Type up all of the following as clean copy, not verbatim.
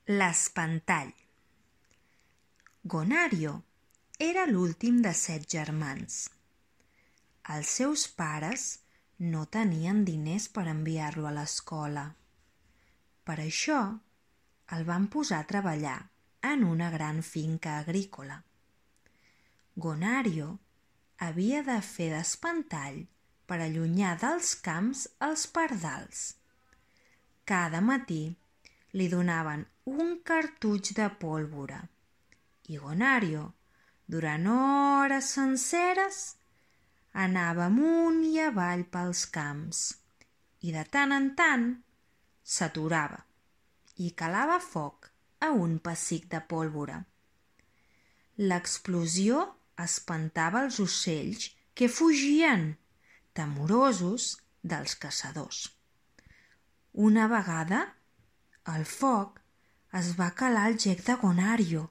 L'espantall. Gonario era l'últim de 7 germans. Els seus pares no tenien diners per enviar-lo a l'escola. Per això el van posar a treballar en una gran finca agrícola. Gonario havia de fer d'espantall per allunyar dels camps els pardals. Cada matí li donaven un cartutx de pólvora i Gonario, durant hores senceres, anava amunt i avall pels camps i de tant en tant s'aturava i calava foc a un pessic de pólvora. L'explosió espantava els ocells que fugien, temorosos dels caçadors. Una vegada, el foc es va calar al gec de Gonario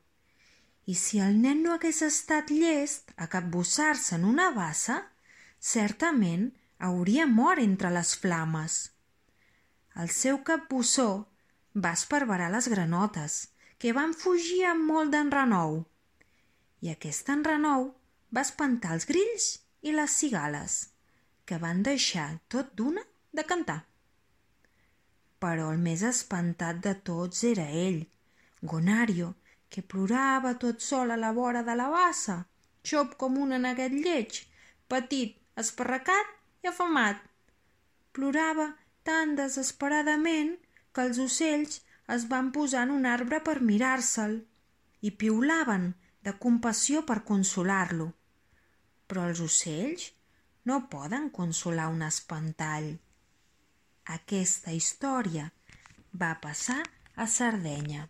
i si el nen no hagués estat llest a capbussar-se en una bassa, certament hauria mort entre les flames. El seu capbussó va esparverar les granotes, que van fugir amb molt d'enrenou, i aquest enrenou va espantar els grills i les cigales, que van deixar tot d'una de cantar. Però el més espantat de tots era ell, Gonario, que plorava tot sol a la vora de la bassa, xop com un neguet lleig, petit, esparracat i afamat. Plorava tan desesperadament que els ocells es van posar en un arbre per mirar-se'l i piulaven de compassió per consolar-lo. Però els ocells no poden consolar un espantall. Aquesta història va passar a Sardenya.